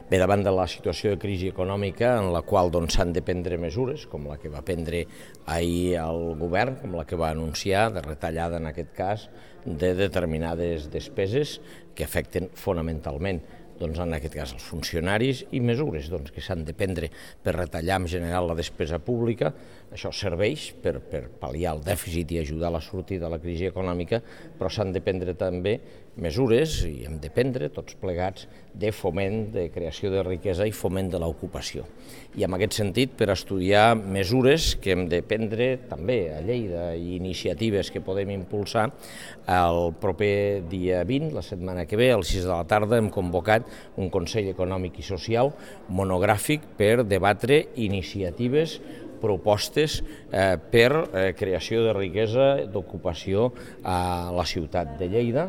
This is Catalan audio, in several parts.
Bé, davant de la situació de crisi econòmica en la qual s'han de prendre mesures, com la que va prendre ahir el govern, com la que va anunciar, de retallada en aquest cas, de determinades despeses que afecten fonamentalment en aquest cas els funcionaris i mesures que s'han de prendre per retallar en general la despesa pública. Això serveix per pal·liar el dèficit i ajudar a la sortida de la crisi econòmica, però s'han de prendre també mesures, i hem de prendre tots plegats, de foment, de creació de riquesa i foment de l'ocupació. I en aquest sentit, per estudiar mesures que hem de prendre també a Lleida i iniciatives que podem impulsar, el proper dia 20, la setmana que ve, a les 6 de la tarda, hem convocat un Consell Econòmic i Social monogràfic per debatre iniciatives, propostes per creació de riquesa, d'ocupació a la ciutat de Lleida,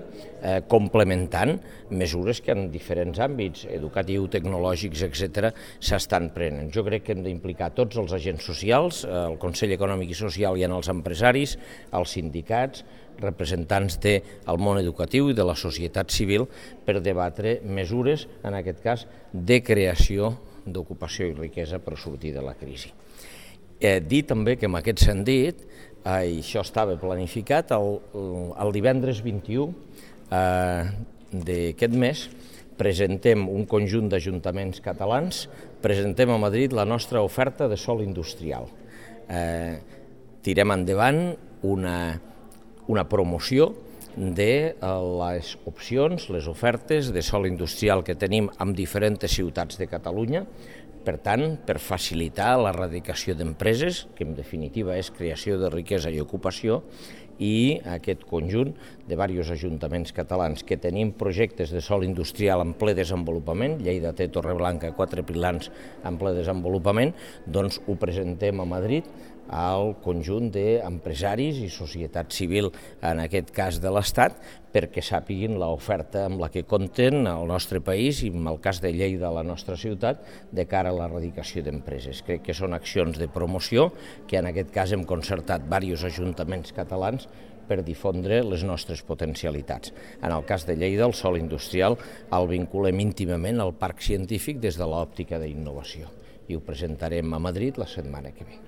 complementant mesures que en diferents àmbits, educatiu, tecnològics, etc., s'estan prenent. Jo crec que hem d'implicar tots els agents socials, el Consell Econòmic i Social i en els empresaris, els sindicats, representants del món educatiu i de la societat civil per debatre mesures, en aquest cas, de creació d'ocupació i riquesa per sortir de la crisi. Dir també que en aquest sentit, i això estava planificat, el divendres 21 d'aquest mes presentem un conjunt d'ajuntaments catalans, presentem a Madrid la nostra oferta de sòl industrial. Tirem endavant una promoció de les opcions, les ofertes de sòl industrial que tenim en diferents ciutats de Catalunya, per tant, per facilitar l'erradicació d'empreses, que en definitiva és creació de riquesa i ocupació, i aquest conjunt de diversos ajuntaments catalans que tenim projectes de sòl industrial en ple desenvolupament, Lleida té Torreblanca, Quatre Pilans en ple desenvolupament, doncs ho presentem a Madrid al conjunt d'empresaris i societat civil, en aquest cas de l'Estat, perquè sàpiguin l'oferta amb la que compten al nostre país i en el cas de Lleida, a la nostra ciutat, de cara a l'erradicació d'empreses. Crec que són accions de promoció que en aquest cas hem concertat diversos ajuntaments catalans per difondre les nostres potencialitats. En el cas de Lleida, el sòl industrial el vinculem íntimament al parc científic des de l'òptica d'innovació i ho presentarem a Madrid la setmana que ve.